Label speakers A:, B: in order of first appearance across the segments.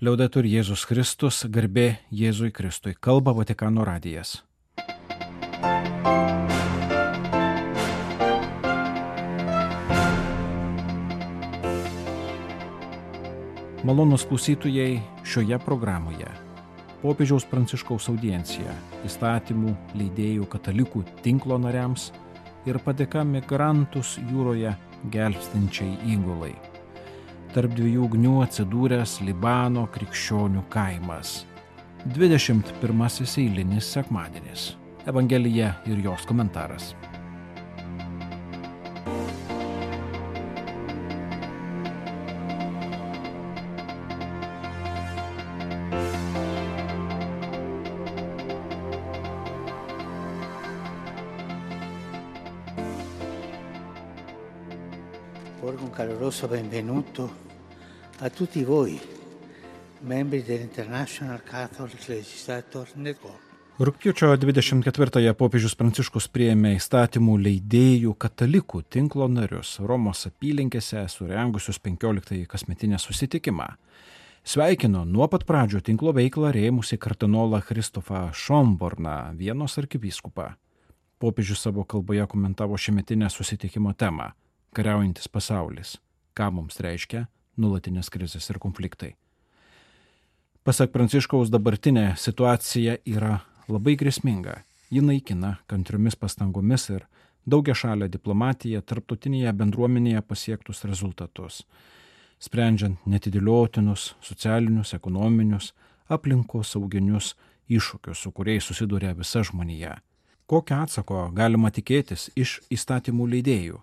A: Liaudetur Jėzus Kristus, garbė Jėzui Kristui, kalba Vatikano radijas. Malonūs klausytojai, šioje programoje popiežiaus Pranciškaus audiencija įstatymų leidėjų katalikų tinklo nariams ir padėka migrantus jūroje gelbstinčiai įgulai. Tarp dviejų ugnių atsidūręs Libano krikščionių kaimas. 21 eilinis sekmadienis. Evangelija ir jos komentaras.
B: Porgo un caloroso benvenuto a tutti voi, membri dell'International Catholic Legislator Network.
A: Rugpjūčio 24-ąją popiežius Pranciškus priėmė įstatymų leidėjų katalikų tinklo narius Romos apylinkėse surengusius 15-ąjį kasmetinę susitikimą. Sveikino nuo pat pradžių tinklo veiklą rėmusį kardinolą Kristofą Šomborną, Vienos arkivyskupą. Popiežius savo kalboje komentavo šiemetinę susitikimo temą – kariaujantis pasaulis, ką mums reiškia nuolatinės krizės ir konfliktai. Pasak Pranciškaus, dabartinė situacija yra labai grėsminga. Ji naikina kantriomis pastangomis ir daugiašalę diplomatiją tarptautinėje bendruomenėje pasiektus rezultatus, sprendžiant netidėliotinus socialinius, ekonominius, aplinkosauginius iššūkius, su kuriais susiduria visa žmonija. Kokio atsako galima tikėtis iš įstatymų leidėjų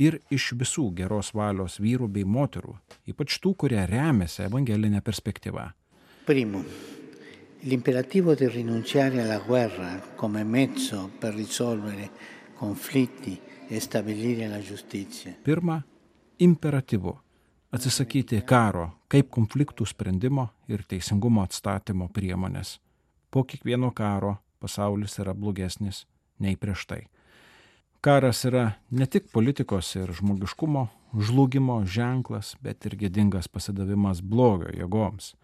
A: ir iš visų geros valios vyrų bei moterų, ypač tų, kurie remiasi evangelinę perspektyvą?
B: Primo, l'imperativo di rinunciare alla guerra come mezzo per risolvere conflitti e stabilire la giustizia.
A: Pirma, imperatyvu atsisakyti karo kaip konfliktų sprendimo ir teisingumo atstatymo priemonės. Po kiekvieno karo pasaulis yra blogesnis nei prieš tai. Karas yra ne tik politikos ir žmogiškumo žlugimo ženklas, bet ir gėdingas pasidavimas blogio jėgoms.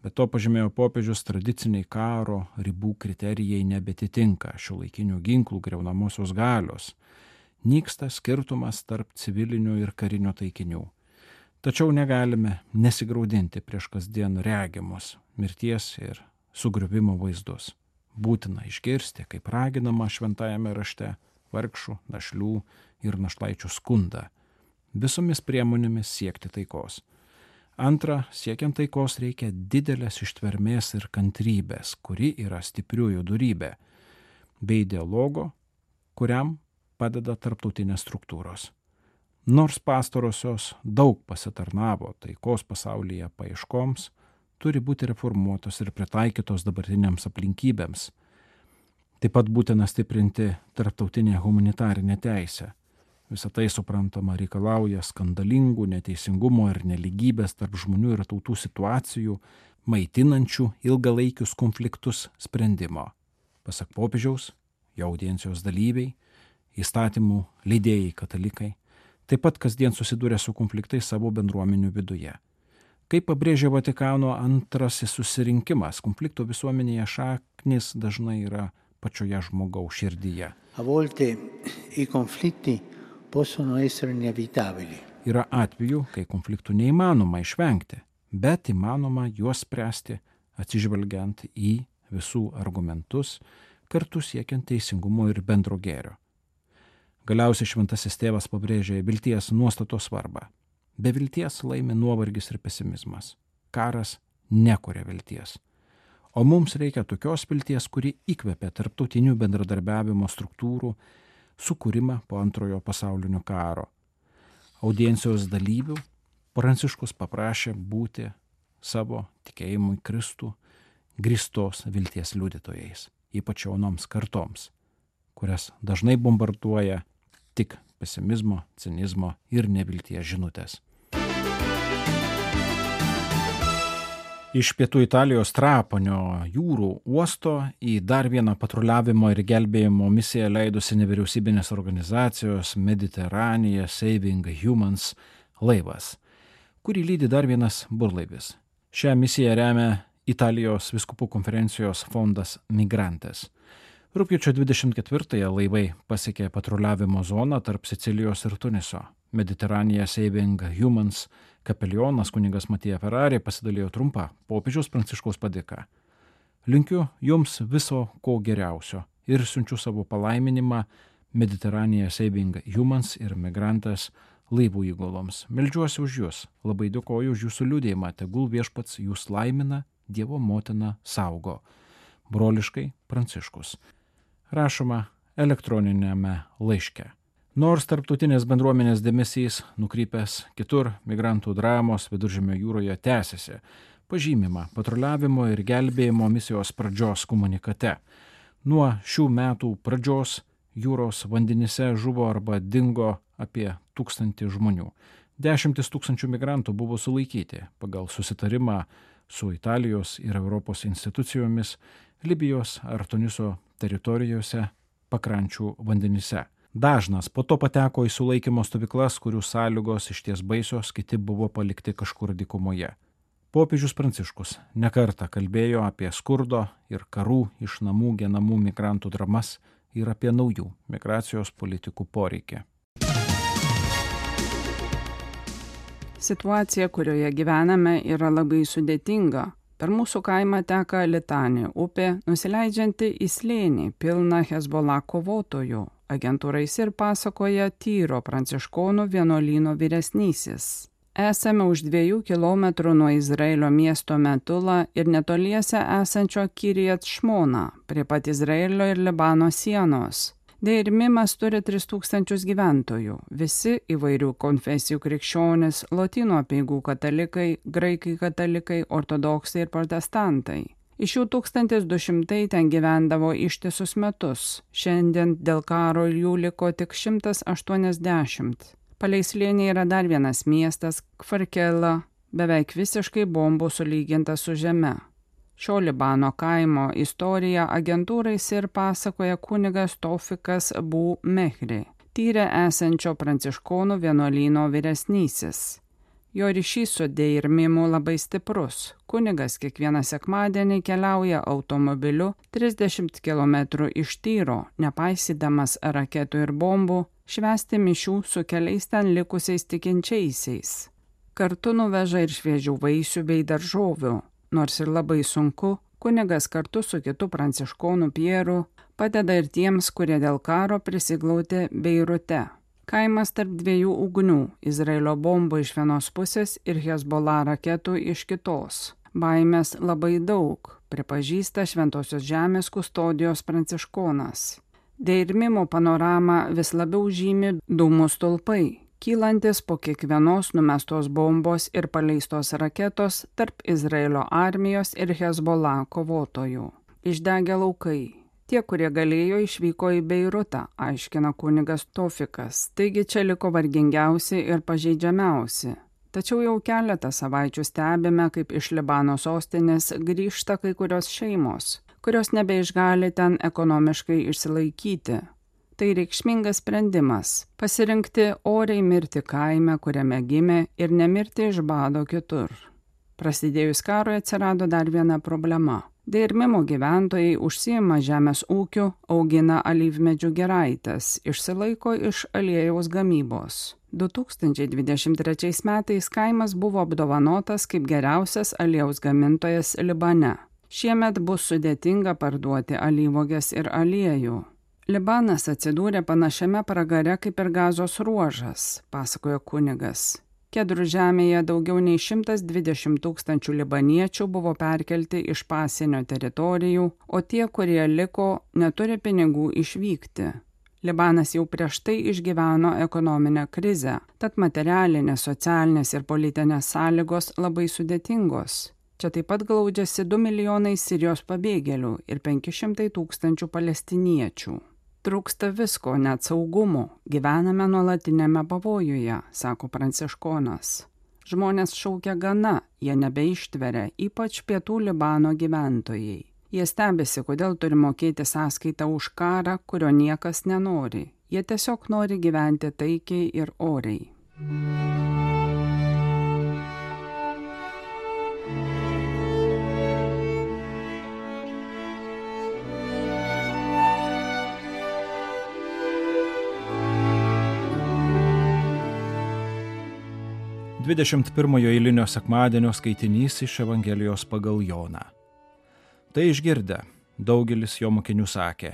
A: Be to, pažymėjo popiežius, tradiciniai karo ribų kriterijai nebetitinka šiuolaikinių ginklų griaunamosios galios. Nyksta skirtumas tarp civilinių ir karinio taikinių. Tačiau negalime nesigraudinti prieš kasdien regimus mirties ir sugriuvimo vaizdus. Būtina išgirsti, kaip raginama šventajame rašte, vargšų, našlių ir našlaičių skundą, visomis priemonėmis siekti taikos. Antra, siekiant taikos reikia didelės ištvermės ir kantrybės, kuri yra stipriųjų dorybė, bei dialogo, kuriam padeda tarptautinės struktūros. Nors pastarosios daug pasitarnavo taikos pasaulyje paieškoms, turi būti reformuotos ir pritaikytos dabartiniams aplinkybėms. Taip pat būtina stiprinti tarptautinę humanitarinę teisę. Visą tai, suprantama, reikalauja skandalingų, neteisingumo ir nelygybės tarp žmonių ir tautų situacijų, maitinančių ilgalaikius konfliktus sprendimo. Pasak popiežiaus, jo audiencijos dalyviai, įstatymų leidėjai katalikai, taip pat kasdien susiduria su konfliktais savo bendruomenių viduje. Kaip pabrėžė Vatikano antrasis susirinkimas, konflikto visuomenėje šaknis dažnai yra pačioje žmogaus širdyje.
B: A volte I conflitti possono essere inevitabili.
A: Yra atvejų, kai konfliktų neįmanoma išvengti, bet įmanoma juos spręsti atsižvelgiant į visų argumentus, kartu siekiant teisingumo ir bendro gėrio. Galiausiai šventasis tėvas pabrėžė vilties nuostatos svarbą. Be vilties laimi nuovargis ir pesimizmas. Karas nekuria vilties. O mums reikia tokios vilties, kuri įkvepia tarptautinių bendradarbiavimo struktūrų sukūrimą po antrojo pasaulinio karo. Audiencijos dalyvių Pranciškus paprašė būti savo tikėjimui Kristų grįstos vilties liudytojais, ypač jaunoms kartoms, kurias dažnai bombarduoja tik pesimizmo, cinizmo ir nevilties žinutės. Iš pietų Italijos Trapanio jūrų uosto į dar vieną patruliavimo ir gelbėjimo misiją leidusi nevyriausybinės organizacijos Mediterranean Saving Humans laivas, kurį lydi dar vienas burlaivis. Šią misiją remia Italijos vyskupų konferencijos fondas Migrantes. Rugpjūčio 24-ąją laivai pasiekė patruliavimo zoną tarp Sicilijos ir Tuniso. Mediterranean Saving Humans kapelionas kunigas Matija Ferrari pasidalijo trumpą popiežiaus Pranciškaus padėką. Linkiu jums viso ko geriausio ir siunčiu savo palaiminimą Mediterranean Saving Humans ir Migrantes laivų įguloms. Meldžiuosi už jūs, labai dėkoju už jūsų liudėjimą, tegul viešpats jūs laimina, Dievo motina saugo. Broliškai Pranciškus. Rašoma elektroninėme laiške. Nors tarptautinės bendruomenės dėmesys nukrypęs kitur, migrantų dramos Viduržemio jūroje tęsiasi. Pažymima patruliavimo ir gelbėjimo misijos pradžios komunikate. Nuo šių metų pradžios jūros vandenyse žuvo arba dingo apie 1000 žmonių. 10 000 migrantų buvo sulaikyti pagal susitarimą su Italijos ir Europos institucijomis Libijos ar Tuniso teritorijose pakrančių vandenyse. Dažnas po to pateko į sulaikymo stovyklas, kurių sąlygos išties baisios, kiti buvo palikti kažkur dykumoje. Popiežius Pranciškus nekartą kalbėjo apie skurdo ir karų iš namų genamų migrantų dramas ir apie naujų migracijos politikų poreikį.
C: Situacija, kurioje gyvename, yra labai sudėtinga. Per mūsų kaimą teka Litanė upė, nusileidžianti į slėnį, pilną Hezbollah kovotojų. Agentūrai ir pasakoja Tyro pranciškonų vienuolyno vyresnysis. Esame už 2 kilometrų nuo Izraelio miesto Metula ir netoliese esančio Kiryat Šmona, prie pat Izraelio ir Libano sienos. Deir Mimas turi 3000 gyventojų, visi įvairių konfesijų krikščionys, lotynų apeigų katalikai, graikai katalikai, ortodoksai ir protestantai. Iš jų 1200 ten gyvendavo ištisus metus, šiandien dėl karo jų liko tik 180. Palei slėnį yra dar vienas miestas, Kvarkela, beveik visiškai bombų sulygintas su žeme. Šio Libano kaimo istoriją agentūrai ir pasakoja kunigas Tofikas Bu Mehri, Tyre esančio pranciškonų vienuolyno vyresnysis. Jo ryšys su Deir Mimu labai stiprus. Kunigas kiekvieną sekmadienį keliauja automobiliu 30 km iš Tyro, nepaisydamas raketų ir bombų, švęsti mišių su keliais ten likusiais tikinčiaisiais. Kartu nuveža ir šviežių vaisių bei daržovių. Nors ir labai sunku, kunigas kartu su kitu pranciškonu Pieru padeda ir tiems, kurie dėl karo prisiglaudė Beirute. Kaimas tarp 2 ugnių – Izraelio bombų iš vienos pusės ir Hezbollah raketų iš kitos. Baimės labai daug, pripažįsta Šventosios žemės kustodijos pranciškonas. Deir Mimo panoramą vis labiau žymi dūmų stulpai, kylantis po kiekvienos numestos bombos ir paleistos raketos tarp Izraelio armijos ir Hezbollah kovotojų. Išdegė laukai. Tie, kurie galėjo, išvyko į Beirutą, aiškina kunigas Tofikas. Taigi čia liko vargingiausi ir pažeidžiamiausi. Tačiau jau keletą savaičių stebime, kaip iš Libano sostinės grįžta kai kurios šeimos, kurios nebeišgali ten ekonomiškai išsilaikyti. Tai reikšmingas sprendimas – pasirinkti oriai mirti kaime, kuriame gimė, ir nemirti iš bado kitur. Prasidėjus karui atsirado dar viena problema. Deir Mimo gyventojai užsiima žemės ūkiu, augina alyvmedžių giraites, išsilaiko iš aliejaus gamybos. 2023 metais kaimas buvo apdovanotas kaip geriausias aliejaus gamintojas Libane. Šiemet bus sudėtinga parduoti alyvuoges ir aliejų. Libanas atsidūrė panašiame pragare kaip ir Gazos ruožas, pasakojo kunigas. Kedrų žemėje daugiau nei 120 000 libaniečių buvo perkelti iš pasienio teritorijų, o tie, kurie liko, neturi pinigų išvykti. Libanas jau prieš tai išgyveno ekonominę krizę, tad materialinės, socialinės ir politinės sąlygos labai sudėtingos. Čia taip pat glaudžiasi 2 milijonai Sirijos pabėgėlių ir 500 000 palestiniečių. Trūksta visko, net saugumo, gyvename nuolatinėme pavojuje, sako pranciškonas. Žmonės šaukia gana, jie nebeištveria, ypač pietų Libano gyventojai. Jie stebisi, kodėl turi mokėti sąskaitą už karą, kurio niekas nenori. Jie tiesiog nori gyventi taikiai ir oriai.
A: 21 eilinio sekmadienio skaitinys iš Evangelijos pagal Joną. Tai išgirdę, daugelis jo mokinių sakė,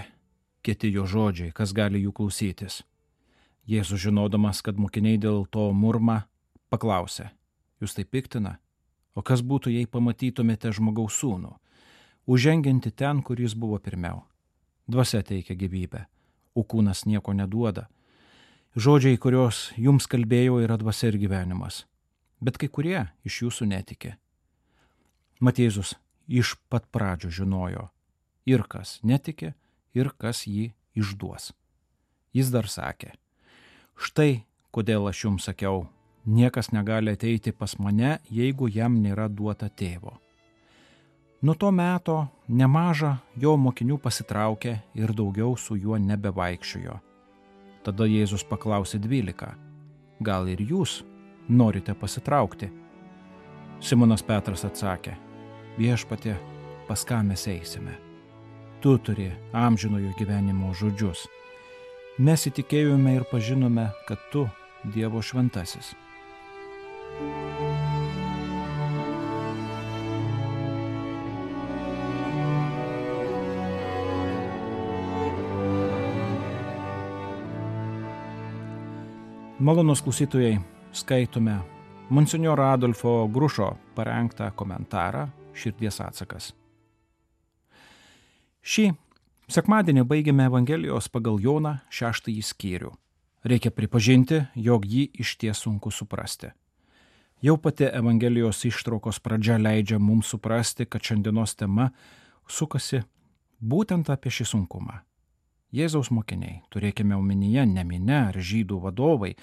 A: kieti jo žodžiai, kas gali jų klausytis. Jėzus, žinodamas, kad mokiniai dėl to murma, paklausė, jūs tai piktina? O kas būtų, jei pamatytumėte žmogaus sūnų, užžengianti ten, kur jis buvo pirmiau? Dvasia teikia gyvybę, o kūnas nieko neduoda. Žodžiai, kuriuos jums kalbėjau, yra dvasia ir gyvenimas. Bet kai kurie iš jūsų netikė. Mat Jėzus iš pat pradžių žinojo, ir kas netikė, ir kas jį išduos. Jis dar sakė, štai kodėl aš jums sakiau, niekas negali ateiti pas mane, jeigu jam nėra duota tėvo. Nuo to meto nemaža jo mokinių pasitraukė ir daugiau su juo nebevaikščiojo. Tada Jėzus paklausė 12, gal ir jūs norite pasitraukti? Simonas Petras atsakė, viešpatie, pas ką mes eisime? Tu turi amžinojo gyvenimo žodžius. Mes įtikėjome ir pažinome, kad tu Dievo šventasis. Malonūs klausytojai, skaitome monsinjoro Adolfo Grušo parengtą komentarą Širdies atsakas. Šį sekmadienį baigėme Evangelijos pagal Joną 6 skyrių. Reikia pripažinti, jog jį išties sunku suprasti. Jau pati Evangelijos ištraukos pradžia leidžia mums suprasti, kad šiandienos tema sukasi būtent apie šį sunkumą. Jėzaus mokiniai, turėkime omenyje ne minia ar žydų vadovai,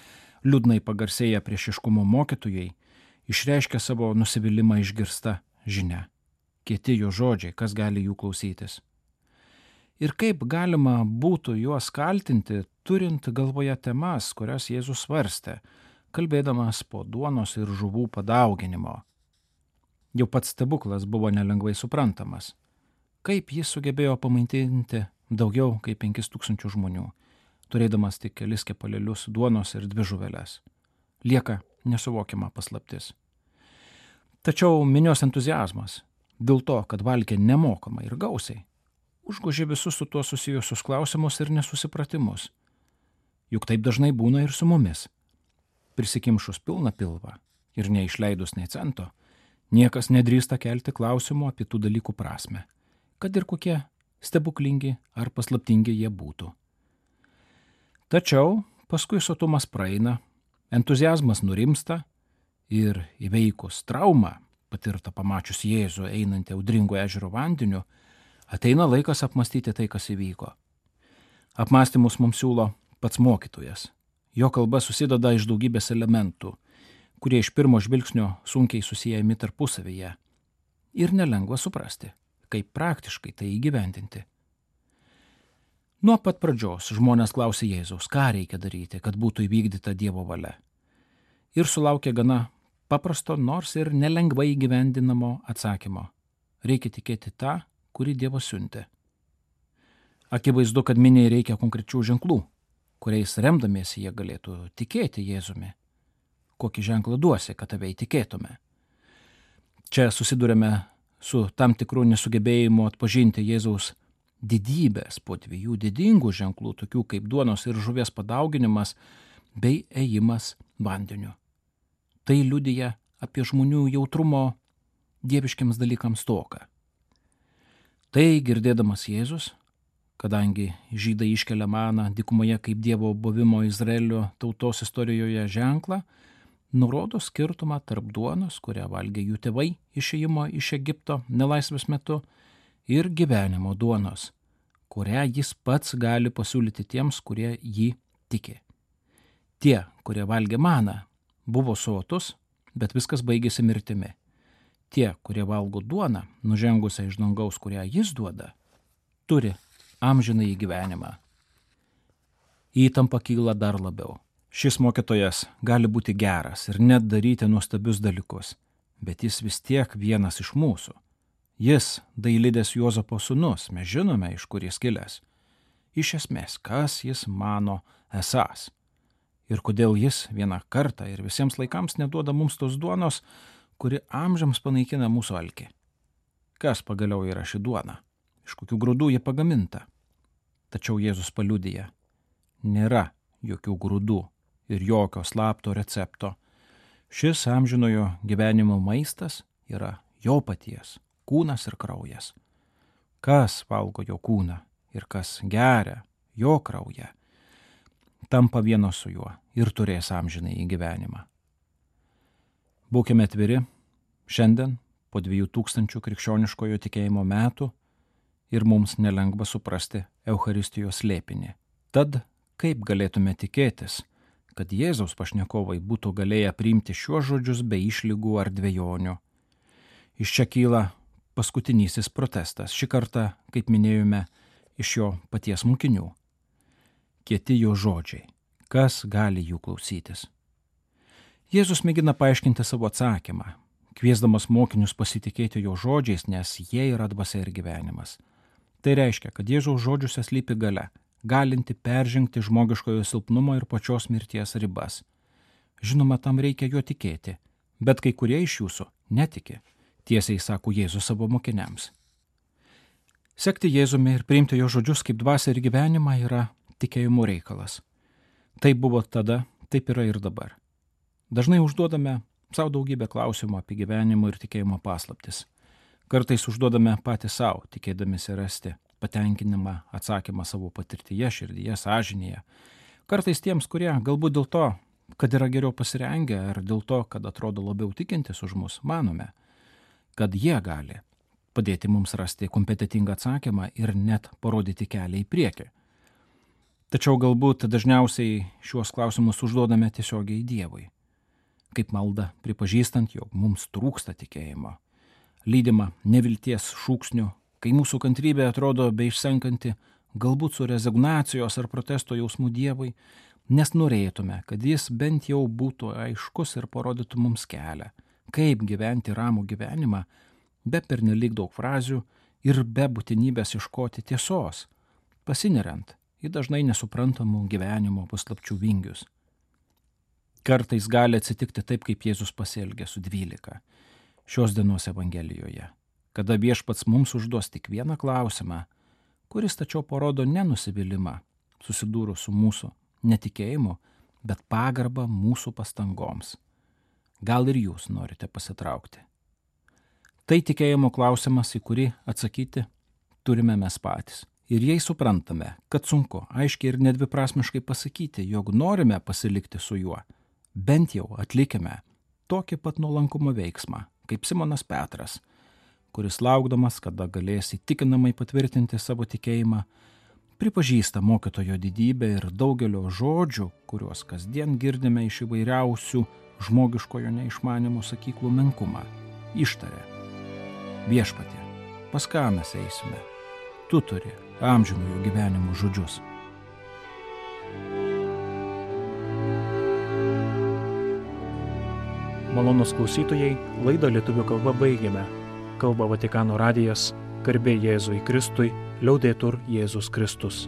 A: liūdnai pagarsėję priešiškumo mokytojai, išreiškia savo nusivylimą išgirsta žinia. Kieti jo žodžiai, kas gali jų klausytis. Ir kaip galima būtų juos kaltinti, turint galvoje temas, kurias Jėzus svarstė, kalbėdamas po duonos ir žuvų padauginimo. Jau pats stebuklas buvo nelengvai suprantamas. Kaip jis sugebėjo pamaitinti daugiau kaip 5000 žmonių, turėdamas tik kelis kepalėlius duonos ir 2 žuveles. Lieka nesuvokiama paslaptis. Tačiau minios entuziazmas, dėl to, kad valgė nemokamai ir gausiai, užgožė visus su tuo susijusius klausimus ir nesusipratimus. Juk taip dažnai būna ir su mumis. Prisikimšus pilną pilvą ir neišleidus nei cento, niekas nedrįsta kelti klausimų apie tų dalykų prasmę, kad ir kokie stebuklingi ar paslaptingi jie būtų. Tačiau paskui sotumas praeina, entuziazmas nurimsta ir įveikus traumą, patirtą pamačius Jėzų einantį audringo ežero vandeniu, ateina laikas apmastyti tai, kas įvyko. Apmąstymus mums siūlo pats mokytojas. Jo kalba susideda iš daugybės elementų, kurie iš pirmo žvilgsnio sunkiai susijęmi tarpusavyje ir nelengva suprasti, kaip praktiškai tai įgyvendinti. Nuo pat pradžios žmonės klausė Jėzaus, ką reikia daryti, kad būtų įvykdyta Dievo valia. Ir sulaukė gana paprasto, nors ir nelengvai įgyvendinamo atsakymo. Reikia tikėti tą, kurį Dievas siuntė. Akivaizdu, kad miniai reikia konkrečių ženklų, kuriais remdamiesi jie galėtų tikėti Jėzumi. Kokį ženklą duosi, kad tave įtikėtume? Čia susidurėme su tam tikru nesugebėjimu atpažinti Jėzaus didybės po 2 didingų ženklų, tokių kaip duonos ir žuvies padauginimas bei ėjimas vandeniu. Tai liudija apie žmonių jautrumo dieviškiams dalykams stoką. Tai girdėdamas Jėzus, kadangi žydai iškelia maną dykumoje kaip Dievo buvimo Izraelio tautos istorijoje ženklą, nurodo skirtumą tarp duonos, kurią valgė jų tėvai išėjimo iš Egipto nelaisvės metu, ir gyvenimo duonos, kurią jis pats gali pasiūlyti tiems, kurie jį tiki. Tie, kurie valgė maną, buvo sotus, bet viskas baigėsi mirtimi. Tie, kurie valgo duoną, nužengusią iš dangaus, kurią jis duoda, turi amžinąjį gyvenimą. Įtampa kyla dar labiau. Šis mokytojas gali būti geras ir net daryti nuostabius dalykus, bet jis vis tiek vienas iš mūsų. Jis Dailidės Juozapo sūnus, mes žinome, iš kur jis kilęs. Iš esmės, kas jis mano esąs. ir kodėl jis vieną kartą ir visiems laikams neduoda mums tos duonos, kuri amžiams panaikina mūsų alkį. Kas pagaliau yra ši duona? Iš kokių grūdų ji pagaminta? Tačiau Jėzus paliudija, nėra jokių grūdų ir jokio slapto recepto. Šis amžinojo gyvenimo maistas yra jo paties kūnas ir kraujas. Kas valgo jo kūną ir kas geria jo kraują, tampa vieno su juo ir turės amžinąjį gyvenimą. Būkime atviri šiandien po 2000 krikščioniškojo tikėjimo metų ir mums nelengva suprasti Eucharistijos slėpinį. Tad kaip galėtume tikėtis, kad Jėzaus pašnekovai būtų galėję priimti šiuos žodžius be išlygų ar dvejonių? Iš čia kyla paskutinysis protestas, šį kartą, kaip minėjome, iš jo paties mokinių. Kieti jo žodžiai, kas gali jų klausytis? Jėzus mėgina paaiškinti savo atsakymą, kviesdamas mokinius pasitikėti jo žodžiais, nes jie yra dvasia ir gyvenimas. Tai reiškia, kad Jėzaus žodžiuose slypi galia, galinti peržengti žmogiškojo silpnumo ir pačios mirties ribas. Žinoma, tam reikia juo tikėti, bet kai kurie iš jūsų netiki, tiesiai sako Jėzus savo mokiniams. Sekti Jėzumi ir priimti jo žodžius kaip dvasią ir gyvenimą yra tikėjimo reikalas. Taip buvo tada, taip yra ir dabar. Dažnai užduodame savo daugybę klausimų apie gyvenimo ir tikėjimo paslaptis. Kartais užduodame patys savo, tikėdamisi rasti patenkinimą atsakymą savo patirtyje, širdyje, sąžinėje. Kartais tiems, kurie galbūt dėl to, kad yra geriau pasirengę, ar dėl to, kad atrodo labiau tikintis už mus, manome, kad jie gali padėti mums rasti kompetentingą atsakymą ir net parodyti kelią į priekį. Tačiau galbūt dažniausiai šiuos klausimus užduodame tiesiogiai Dievui, kaip malda, pripažįstant, jog mums trūksta tikėjimo, lydima nevilties šūksnių, kai mūsų kantrybė atrodo beišsenkanti, galbūt su rezignacijos ar protesto jausmu Dievui, nes norėtume, kad jis bent jau būtų aiškus ir parodytų mums kelią, kaip gyventi ramų gyvenimą, be pernelyg daug frazių ir be būtinybės ieškoti tiesos, pasineriant į dažnai nesuprantamų gyvenimo paslapčių vingius. Kartais gali atsitikti taip, kaip Jėzus pasielgė su 12 šios dienos Evangelijoje, kada viešpats mums užduos tik vieną klausimą, kuris tačiau parodo nenusivylimą, susidūrus su mūsų netikėjimu, bet pagarbą mūsų pastangoms. Gal ir jūs norite pasitraukti? Tai tikėjimo klausimas, į kurį atsakyti turime mes patys. Ir jei suprantame, kad sunku aiškiai ir nedviprasmiškai pasakyti, jog norime pasilikti su juo, bent jau atlikime tokį pat nuolankumo veiksmą, kaip Simonas Petras, kuris laukdamas, kada galės įtikinamai patvirtinti savo tikėjimą, pripažįsta mokytojo didybę ir daugelio žodžių, kuriuos kasdien girdime iš įvairiausių žmogiškojo neišmanimo sakyklų menkumą. Ištarė: Viešpatie, pas ką mes eisime? Tu turi amžinojo gyvenimo žodžius.
D: Malonūs klausytojai, laidą lietuvių kalba baigėme. Kalba Vatikano radijas, garbė Jėzui Kristui, liaudetur Jėzus Kristus.